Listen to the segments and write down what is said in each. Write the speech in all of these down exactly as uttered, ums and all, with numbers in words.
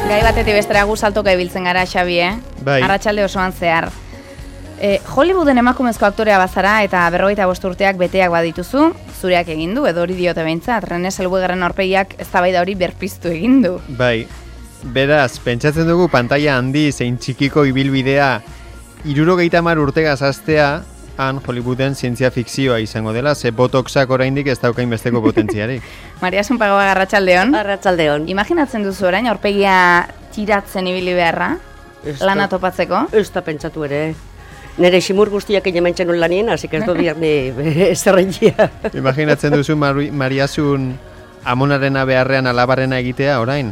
Gai batetik bestera gu saltoka ibiltzen gara, Xabi, eh? Bai. Arratsalde osoan zehar. E, Hollywooden emakumezko aktorea bazara eta berrogeita bost urteak beteak badituzu, zureak egin du, edo hori diote behintzat, Rene Zellwegerren aurpegiak eztabaida hori berpiztu egin du. Bai, beraz, pentsatzen dugu pantalla handi zein txikiko ibilbidea hirurogeita hamar urtegaz hastea, han Hollywooden zientzia fikzioa izango dela, ze botoxak oraindik ez daukain besteko potentziarik. Maria Sunpagoa, arratsaldeon. Arratsaldeon. Imaginatzen duzu orain aurpegia tiratzen ibili beharra, lana topatzeko? Ez da pentsatu ere. Nere ximur guztiak hementzen non lanien, hasi ez dut biarni zerrentzia. Imaginatzen duzu Mari, Mariasun amonarena beharrean alabarrena egitea orain?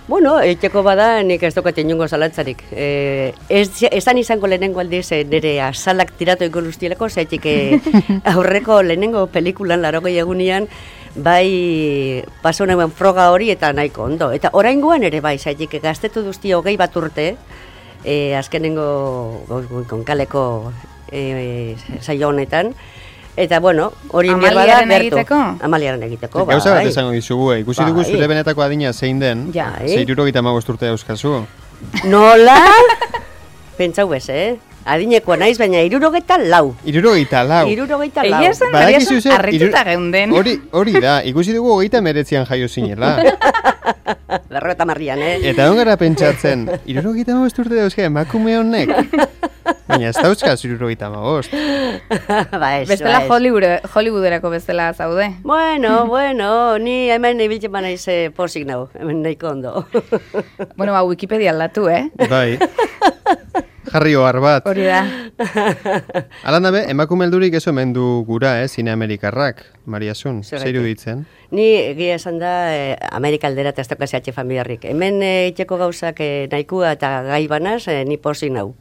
Bueno, eiteko bada nik ez dokat inungo zalantzarik. E, ez, esan izango lehenengo aldiz e, nire azalak tiratu eko guztieleko, zaitik e, aurreko lehenengo pelikulan larogei egunean, bai paso nuen froga hori eta nahiko ondo. Eta oraingoan ere bai, zaitik gaztetu duzti hogei bat urte, e, azkenengo konkaleko e, saio honetan, eta bueno, hori Amaliaren egiteko? Amaliaren egiteko, bai. Gauza bat esango dizugu, eh? Ikusi dugu Bai. zure benetako adina zein den, Ja. ze hirurogeita hamabost urte dauzkazu. Nola? Pentsau bez, eh? Adinekoa naiz, baina hirurogeita lau. Hirurogeita lau. Hirurogeita lau. Egia esan, Maria Badakizu Sun, zer, harrituta hiru- geunden. Hori, hori da, ikusi dugu hogeita meretzian jaio zinela. Berrogeta marrian, eh? Eta on gara pentsatzen, hirurogeita hamabost urte dauzka emakume honek. Baina ez dauzkaz hirurogeita hamabost. ba, ez, Bestela ba, ez. Hollywood, Hollywooderako bestela zaude. Bueno, bueno, ni hemen ibiltzen ba naiz eh, posik nau, hemen nahiko ondo. Bueno, ba, Wikipedia aldatu, eh? Bai. Jarri ohar bat. Hori da. Alan dabe, emakume heldurik ez omen du gura, eh, zine amerikarrak, Mariasun, Zergatik? zeiru ditzen. Ni egia esan da eh, Amerika aldera eta ez daukazi atxe familiarrik. Hemen eh, itxeko gauzak eh, nahikua eta gai banaz, eh, ni posik nau.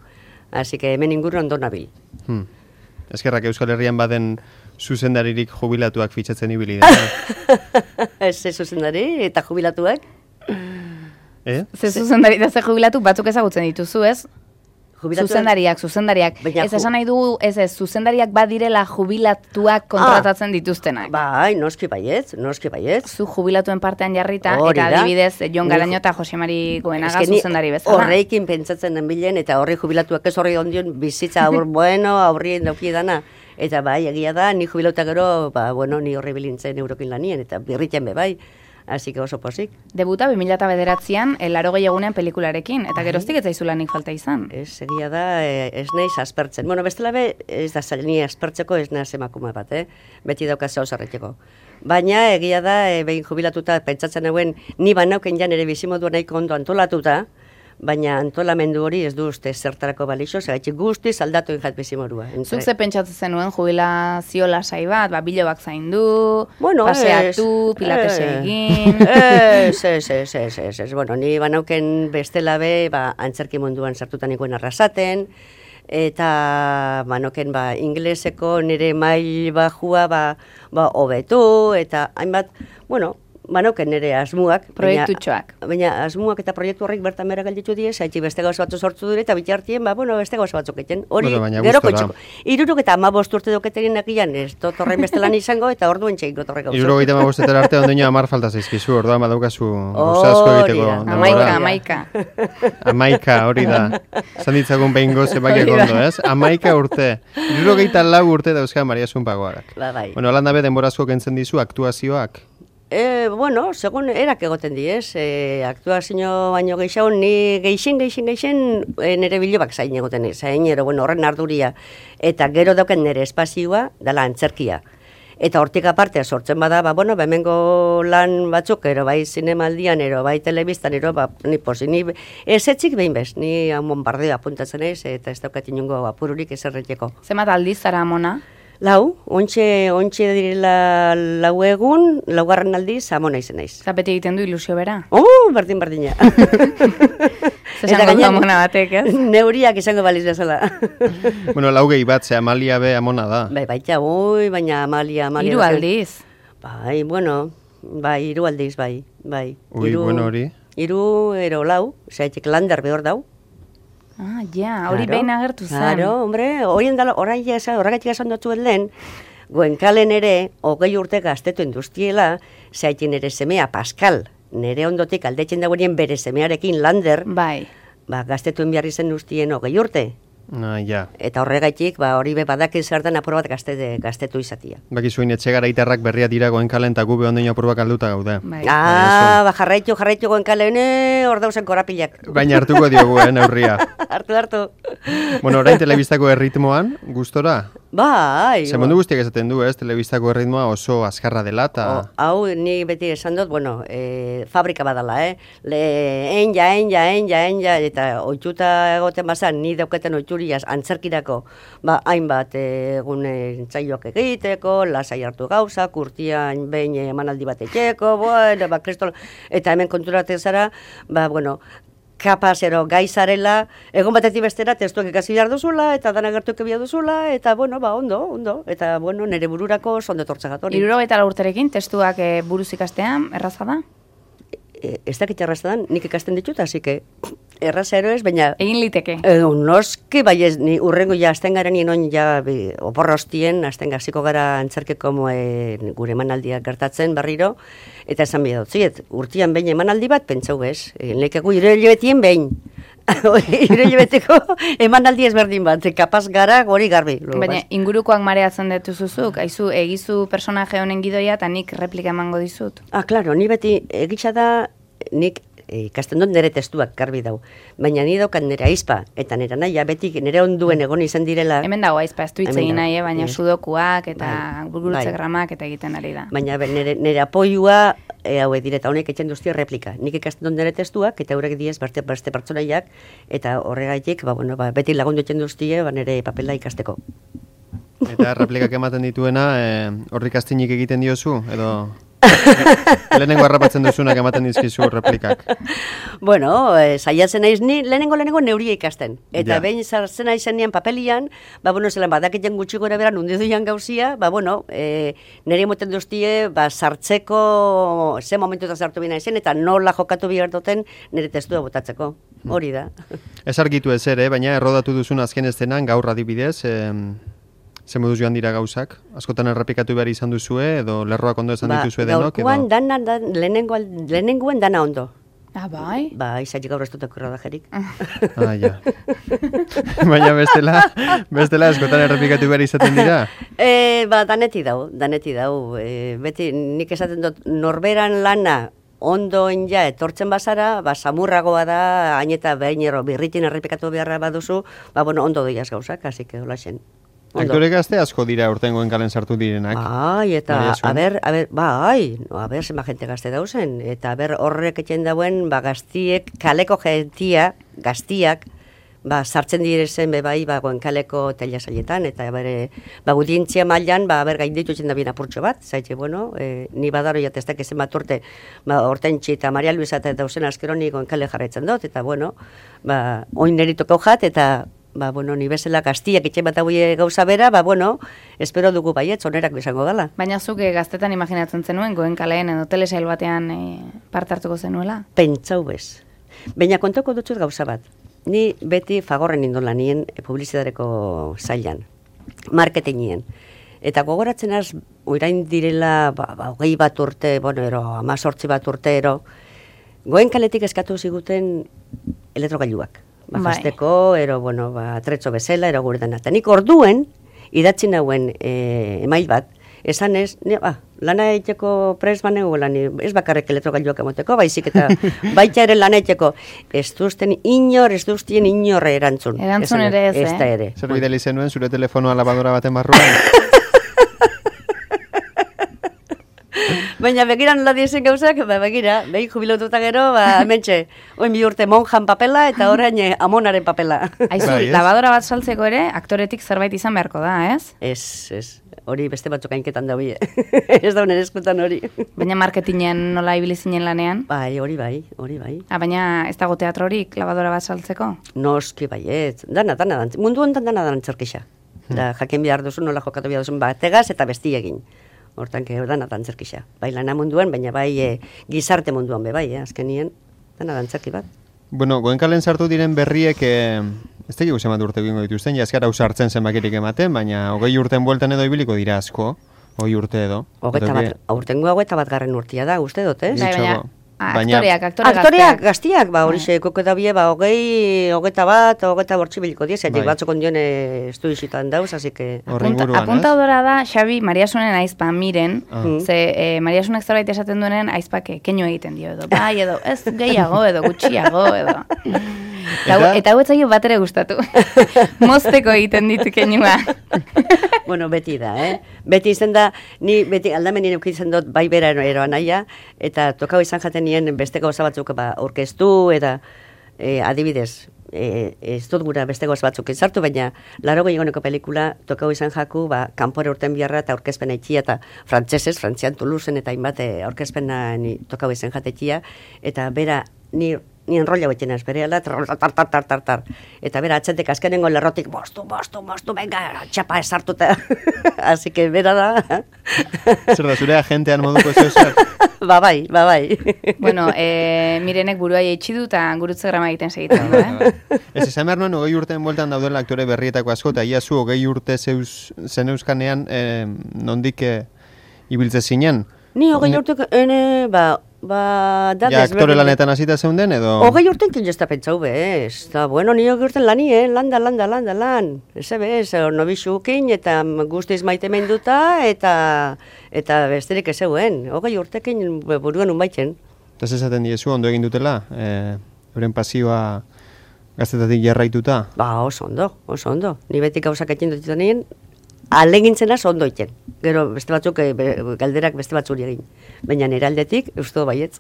Así que hemen inguru ondo nabil. Hmm. Eskerrak Euskal Herrian baden zuzendaririk jubilatuak fitxatzen ibili da. Ez ez zuzendari eta jubilatuak. Eh? Ze zuzendari da ze jubilatu batzuk ezagutzen dituzu, ez? Jubilatuak- Zuzendariak, zuzendariak. Baina Ez ju- esan nahi dugu, ez ez, zuzendariak badirela jubilatuak kontratatzen dituztenak. Bai, noski baietz, noski baietz. Zu jubilatuen partean jarrita, Hori eta da. adibidez, Jon Ni- Garaño eta Jose Mari Goenaga Eske ni zuzendari bezala. Horreikin pentsatzen den bilen, eta horri jubilatuak ez horri ondion bizitza aur bueno, aurrien dauki dana. Eta bai, egia da, ni jubilauta gero, ba, bueno, ni horri bilintzen eurokin lanien, eta birritzen be bai. Así que oso posik. Debuta bi mila bederatzian, larogei egunean pelikularekin, eta geroztik ez zaizu lanik falta izan. Ez, egia da, eh, ez naiz aspertzen. Bueno, bestela be, ez da zaila ni aspertzeko ez naiz emakume bat, eh? Beti daukaz zau zarreteko. Baina, egia da, e, behin jubilatuta, pentsatzen hauen, ni banauken jan ere bizimodua nahiko ondo antolatuta, baina antolamendu hori ez du uste zertarako balixo, zergatik guztiz aldatu injat bizimodua. Zuk ze pentsatzen zenuen jubilazio lasai bat, ba, bilobak zaindu, Bueno, paseatu, ez, pilates eh, egin. Ez, ez, ez, ez, ez, ez. Bueno, ni banauken bestela be, ba, antzerki munduan sartutan nikoen arrasaten, eta banoken ba, ingleseko nire mail bajua ba, ba, hobetu, eta hainbat, bueno, banoken nire asmuak. Proiektutxoak. Baina, baina asmuak eta proiektu horrek bertan bera galditu die, zaitxi beste gauza batzu sortzu dure, eta bitartien, ba, bueno, beste gauza batzuk egiten. Hori, Bueno, baina gero gustora. koitxiko. Iruruk eta amabost urte doketerin nakian, ez dut horrein beste lan izango, eta orduen txeiko torrek gauza. Hirurogeita hamabostetara arte ondoño hamar falta zaizkizu, orduan badaukazu gauza asko Hori egiteko da. denbora. Amaika, amaika. Amaika, hori da. Zan ditzagun behingo zebakiak Hori da. ondo, ez? Amaika urte. Hirurogeita lau urte dauzka Maria Sunpagoarak. Ba, bai. Bueno, alan dabe denborazko kentzen dizu aktuazioak. E, bueno, segun erak egoten di, ez? E, aktuazio baino gehiago, ni geixen, geixen, geixen e, nire bilobak zain egoten ez. Zain, ero, bueno, horren arduria. Eta gero dauken nire espazioa, dala antzerkia. Eta hortik aparte sortzen bada, ba, bueno, bemengo lan batzuk, ero bai zinemaldian, ero bai telebistan, ero, ba, ni posi, ni ezetzik behin bez, ni bombardeo apuntatzen ez, eta ez daukat inongo apururik ezerreteko. Zemat aldiz zara amona? Lau, ontxe, ontxe direla lau egun, laugarren aldiz, amona izen naiz. Eta beti egiten du ilusio bera. Oh, berdin berdina. Zesango du amona batek, ez? Neuriak izango baliz bezala. Bueno, laugei bat, ze Amalia be amona da. Bai, baita, ui, baina Amalia, Amalia. Hiru daukan- aldiz. Bai, bueno, bai, hiru aldiz, bai, bai. Ui, Hiru- bueno, hori. Hiru ero lau, zaitik lander behor dau. Ah, ja, hori Claro, behin agertu zen. Claro, hombre, horien dala, orain jasa, horregatik esan dutuen lehen, Goenkalen ere, hogei urte gaztetu industriela, zaitin ere semea Pascal, nire ondotik aldetzen dagoenien bere semearekin Lander, Bai. ba, gaztetuen behar izen ustien hogei urte. Ah, ja. Eta horregaitik, ba, hori be badakin zertan apur bat gazte, gaztetu izatia. Bakizuin etxe garaitarrak berria dira goenkalen eta gu behondein apur bat alduta gaude. Bai. Ah, ba, jarraitu, jarraitu goenkalen, hor dauzen korapilak. Baina hartuko diogu, eh, neurria. hartu, hartu. Bueno, orain telebistako erritmoan, gustora? Bai. Ze mundu guztiak esaten du, ez, telebistako erritmoa oso azkarra dela, eta... O, hau, ni beti esan dut, bueno, e, fabrika badala, eh? Le, enja, enja, enja, enja, eta oituta egoten bazan, ni dauketen oituriaz antzerkirako, ba, hainbat egun entzaioak egiteko, lasai hartu gauza, kurtian behin emanaldi bat etxeko, bueno, ba, kristol, eta hemen konturatzen zara, ba, bueno, kapaz, ero, gaizarela, egon batetik bestera, testuak ikasi behar duzula, eta dana gertuak behar duzula, eta, bueno, ba, ondo, ondo, eta, bueno, nire bururako sondo tortzegatori. Hirurogeita lau urterekin testuak e, buruz ikastean, erraza da? E, ez dakit erraza dan, nik ikasten ditut, hasi que erraza ero ez, baina... Egin liteke. E, noski, bai ez, ni urrengo ja, azten garen inoen ja, bi, oporrostien, azten gaziko gara antzerkeko e, gure emanaldiak gertatzen barriro, eta esan bide dut, ziet, urtian behin emanaldi bat, pentsau ez, e, nekegu irelebetien behin. Irelebeteko emanaldi ezberdin bat, kapaz gara gori garbi. Baina ingurukoak mareatzen detuzuzuk, aizu egizu personaje honen gidoia eta nik replika emango dizut. Ah, klaro, ni beti egitza da, nik ikasten dut nire testuak garbi dau. Baina ni daukat nire aizpa, eta nire naia beti nire onduen egon izan direla. Hemen dago aizpa, ez du hitz egin nahi, baina yes. sudokuak eta Bai. gurgurutze Bai. gramak eta egiten ari da. Baina be, nire, nire apoiua, e, hau direta honek etxen duzti replika. Nik ikasten dut nire testuak, eta horrek diez beste, beste pertsonaiak, eta horregaitik, ba, bueno, ba, beti lagundu etxen duztie, ba, nire papela ikasteko. Eta replikak ematen dituena, eh, horrik astinik egiten diozu, edo... lehenengo harrapatzen duzunak ematen dizkizu replikak. Bueno, e, saiatzen naiz ni lehenengo lehenengo neuria ikasten. Eta Ja. behin sartzen naizen nian papelian, ba, bueno, zelan badakiten gutxi gora bera nundi duian gauzia, ba, bueno, e, nire moten duztie, ba, sartzeko, ze momentu eta sartu bina izen, eta nola jokatu behar duten nire testua botatzeko. Hori da. Ez argitu ez ere, baina errodatu duzun azken estenan gaur adibidez, eh, ze moduz joan dira gauzak? Askotan errepikatu behar izan duzue, edo lerroak ondo esan dituzue denok, gaurkoan edo... dana, dan, lehenengo, lehenengoen dana ondo. Ah, bai? Ba, izatik gaur ez dut rodajerik. Ah, ja. Baina bestela, bestela askotan errepikatu behar izaten dira. E, ba, daneti dau, daneti dau. E, beti nik esaten dut, norberan lana ondo ja etortzen bazara, ba, samurragoa da, hain eta behinero birritin errepikatu beharra baduzu, ba, bueno, ondo doiaz gauzak, hasi que hola xen. Aktore gazte asko dira urtengoen kalen sartu direnak. Bai, eta, a ber, a ber, bai, no, a ber, zenba jente gazte dauzen, eta a ber, horrek etxen dauen, ba, gaztiek, kaleko gentia, gaztiak, ba, sartzen direzen be bai, ba, goenkaleko teilasailetan, eta bere, ba, gudientzia mailan, ba, ber, gainditu etxen da bien apurtxo bat, zaitxe, bueno, e, ni badaro jateztak ezen bat urte, ba, Hortentxi eta Maria Luisa eta dauzen askero ni goenkale jarraitzen dut, eta, bueno, ba, oin neritoko jat, eta, ba, bueno, ni bezala gaztiak etxe bat hauie gauza bera, ba, bueno, espero dugu baiet, onerak izango dela. Baina zuk eh, gaztetan imaginatzen zenuen, goenkaleen edo telesail batean eh, parte hartuko zenuela? Pentsau bez. Baina kontoko dutxut gauza bat. Ni beti fagorren indola nien publizitareko zailan, marketingien. Eta gogoratzen az, oirain direla, ba, ba, hogei bat urte, bueno, ero, amazortzi bat urte, ero, goenkaletik eskatu ziguten elektrogailuak. Ba, Bai. jazteko, ero, bueno, ba, tretzo bezala, ero gure dena. Eta nik orduen, idatzi nauen e, email bat, esan ez, ne, ba, lana egiteko pres baneu, lan, ez bakarrik elektrogailuak emoteko, baizik eta baita ere lana egiteko, ez duzten inor, ez duztien inor erantzun. Erantzun Esan, ere ez, ez da eh? ere. Zer bideli zenuen zure telefonoa labadora baten barruan? Baina begira nola diezen gauzak, ba, begira, behin jubilatuta gero, ba, hementxe, oin bi urte monjan papela eta orain eh, amonaren papela. Aizu, Bai, ez? labadora bat saltzeko ere, aktoretik zerbait izan beharko da, ez? Ez, ez, hori beste batzuk hainketan da bie. Ez da nire eskutan hori. Baina marketingen nola ibili zinen lanean? Bai, hori bai, hori bai. Ah, baina ez dago teatrorik labadora bat saltzeko? Noski baiet, dana, dana, dana, mundu honetan dana dana antzerkisa. Da, jakin behar duzu, nola jokatu behar duzun, bategaz eta bestie Hortan, que dana dantzerkisa. Bai lana munduan, baina bai e, gizarte munduan be bai, eh, azkenien, dana dantzerki bat. Bueno, goenkalen sartu diren berriek, eh, ez tegigu zemat urte egingo dituzten, jaskara usartzen zenbakirik ematen, baina hogei urten bueltan edo ibiliko dira asko, hogei urte edo. Hogeta Edo bat, aurtengo hau eta bat garren urtia da, uste dut, ez? Bai, baina Gutxago. Baina, aktoreak, aktore aktoreak gaztiak, ba, hori xeko dabie, ba, hogei, hogeta bat, hogeta bortzi biliko diez, bai. Batzuk ondion estu isitan dauz, así que... Apuntadora da, Xabi, Mariasunen aizpa miren, ah. ze eh, Mariasunek zerbait esaten duenen aizpak keinu egiten dio, edo, bai, edo, ez gehiago, edo, gutxiago, edo... Eta hau etzaio bat ere gustatu. Mozteko egiten ditu keinua. Bueno, beti da, eh? Beti izan da, ni beti aldamenien eukitzen dut bai bera eroan naia, eta tokau izan jaten nien beste gauza batzuk ba, orkestu, eta e, adibidez, e, ez dut gura beste gauza batzuk izartu, baina laro gehiagoneko pelikula tokau izan jaku, ba, kanpore urten biharra eta aurkezpena itxia, eta frantzesez, frantzian Toulouseen eta hainbat aurkezpena ni tokau izan jatetxia, eta bera, ni ni enrolla betxena espereala, tar, tar, tar, tar, tar, tar. Eta bera, atxetek azkenengo lerrotik, bostu, bostu, bostu, venga, txapa esartuta. Así que bera da. Zer da, zure agentean moduko ez zer? Ba bai, ba bai. Bueno, e, mirenek burua jaitsi du eta gurutze grama egiten segitzen du, eh? Ez, esan behar nuen, hogei urteen bueltan daudela aktore berrietako asko, eta ia zu hogei urte zeus, zen euskanean, e, nondik e, ibiltze zinen? Ni hogei urte, ene, ba... Ba, da, ja, aktore lanetan hasita zeunden, edo? Hogei urten kin jozta pentsau bez. Da, bueno, ni hogei urten lani, eh? Landa, landa, landa, lan. Eze bez, nobixukin, eta guztiz maite menduta, eta eta besterik ez zeuen. Hogei urtekin buruan unbaitzen. Eta esaten diezu, ondo egin dutela? E, euren pasioa gaztetatik jarraituta? Ba, oso ondo, oso ondo. Ni betik gauzak etxin dut nien, alegintzena ondo iten. Gero beste batzuk, e, be, galderak beste batzuri egin. Baina nire aldetik, uste baietz.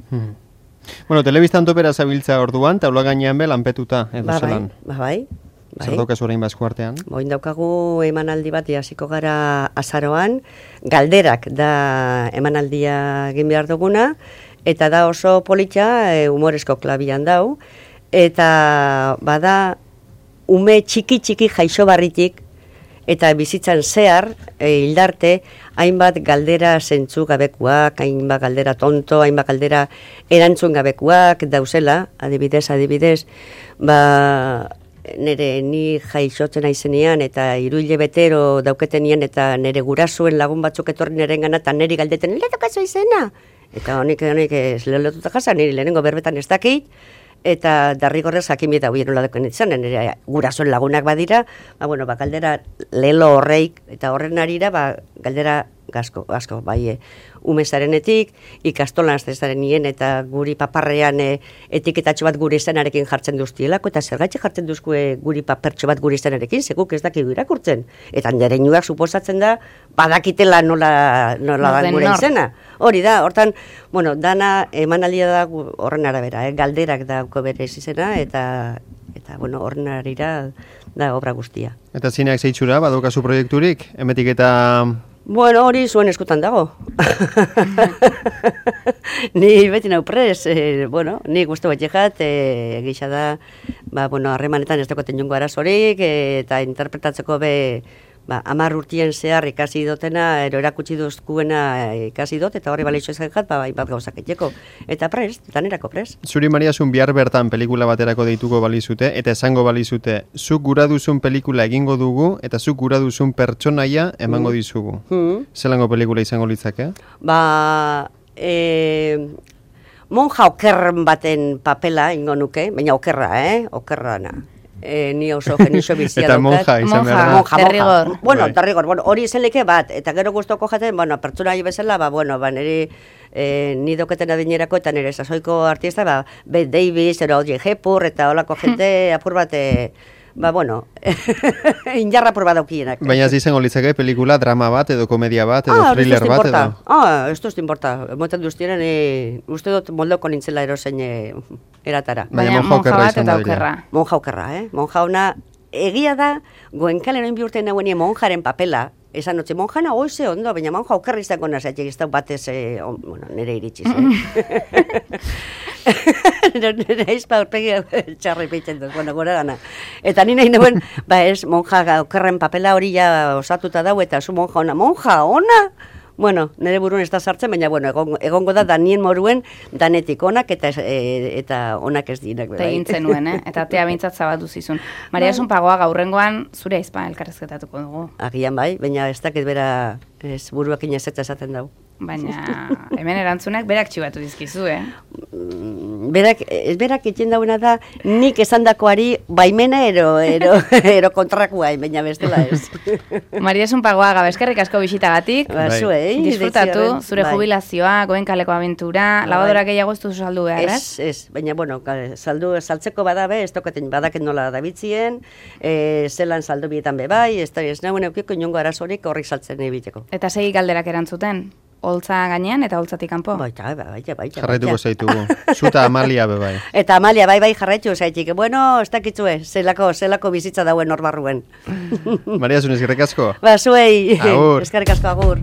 Hmm. Bueno, telebistan topera zabiltza orduan, taula gainean be lanpetuta, edo ba, zelan. Ba, bai, bai. Zer daukaz orain bazku artean? Boin daukagu emanaldi bat hasiko gara azaroan, galderak da emanaldia egin behar duguna, eta da oso politxa, e, humorezko klabian dau, eta bada ume txiki-txiki jaixo barritik, eta bizitzan zehar, e, hildarte, hainbat galdera zentzu gabekuak, hainbat galdera tonto, hainbat galdera erantzun gabekuak dauzela, adibidez, adibidez, ba, nire ni jaixotzen aizenean, eta hiru betero dauketenien, eta nire gurasuen lagun batzuk etorri niren gana, eta niri galdeten, lehetokazu izena? Eta honik, honik, ez lehelotuta jasa, niri lehenengo berbetan ez dakit, eta darrigorrez jakin bieta huien nola deken izan, nire gurasoen lagunak badira, ba, bueno, ba, galdera lelo horreik, eta horren arira, ba, galdera gasko, gasko, bai, e, umezarenetik, ikastolan aztezaren nien, eta guri paparrean e, etiketatxo bat guri izenarekin jartzen duztielako, eta zergaitxe jartzen duzku e, guri papertxo bat guri izenarekin, seguk ez dakigu irakurtzen. Eta nire inuak suposatzen da, badakitela nola, nola dan gure izena. Hori da, hortan, bueno, dana emanaldia da horren arabera, eh? Galderak dauko bere izena, eta, eta bueno, horren arira da obra guztia. Eta zineak zeitzura, badokazu proiekturik, emetik eta... Bueno, hori zuen eskutan dago. Ni beti nau pres, eh, bueno, ni guztu bat jexat, eh, gisa da, ba, bueno, harremanetan ez dagoetan jongo arazorik, eh, eta interpretatzeko be, ba, amar urtien zehar ikasi dotena, ero erakutsi duzkuena ikasi dut, eta horri baleixo ezak jat, ba, bat gauzak etxeko. Eta prest, eta nerako prest. Zuri Mariasun bihar bertan pelikula baterako deituko balizute, eta esango balizute, zuk gura duzun pelikula egingo dugu, eta zuk gura duzun pertsonaia emango dizugu. Mm. Zelango pelikula izango litzake? Ba, e, monja okerren baten papela ingo nuke, baina okerra, eh? Okerra na. E, ni oso genixo bizia eta monja izan behar da. Monja, derrigor. Bueno, derrigor, bueno, hori izenleke bat, eta gero guztoko jaten, bueno, pertsona bezala, ba, bueno, ba, niri e, ni doketen adinerako, eta nire sasoiko artista, ba, Bette Davis, ero Audrey Hepburn, eta holako jente apur bat, e, ba, bueno, injarra apur bat daukienak. Baina ez izango litzake pelikula, drama bat, edo komedia bat, edo ah, thriller bat, edo? Ah, ez dut importa. Moten duztienen, e, uste dut moldoko nintzela erosein e, eratara. Baina monja bat eta okerra. Monja okerra, eh? Monja ona, egia da, goenkalen oin bihurten nagoen monjaren papela, esan notxe, monjana oize ondo, baina monja okerra izango nazatxek, ez da batez, eh, on, bueno, nire iritsiz, eh? Nire aizpa urpegi txarri peitzen dut, bueno, gora gana. Eta nire nagoen, ba ez, monja okerren papela hori ja osatuta dau, eta zu monja ona, monja ona? Bueno, nire buruen ez da sartzen, baina bueno, egongo, egongo da danien moruen danetik onak eta e, eta onak ez dinak. Eta egin zenuen, eh? Eta tea bintzat zabatu zizun. Mariasun pagoa gaurrengoan zure aizpa elkarrezketatuko dugu. Agian bai, baina ez dakit bera ez buruak inezetza esaten dugu. baina hemen erantzunak berak txibatu dizkizu, eh? Berak, ez berak etxen dauena da, nik esandakoari baimena ero, ero, ero kontrakoa, baina bestela ez. Maria Sunpagoaga, eskerrik asko bisitagatik. Ba, zuei, disfrutatu, deitziaren, zure bai. jubilazioa, Goenkaleko abentura, Bai. labadora gehiago ez duzu saldu behar, ez? Ez, ez, baina, bueno, saldu, saltzeko badabe, ez tokaten badaken nola dabitzien, e, zelan saldu bietan be bai, ez da, ez nahuen eukiko inongo arazorik horrik saltzen egiteko. Eta segi galderak erantzuten? Holtza gainean eta holtzatik kanpo? Baita, baita, baita. Jarraituko zaitugu. Zuta Amalia be bai. Eta Amalia, bai, bai, jarraitu zaitik. Bueno, ez dakitzue, zelako, zelako bizitza dauen hor barruen. Maria Zunez, eskerrik asko. Ba, zuei, Agur. eskerrik asko, agur.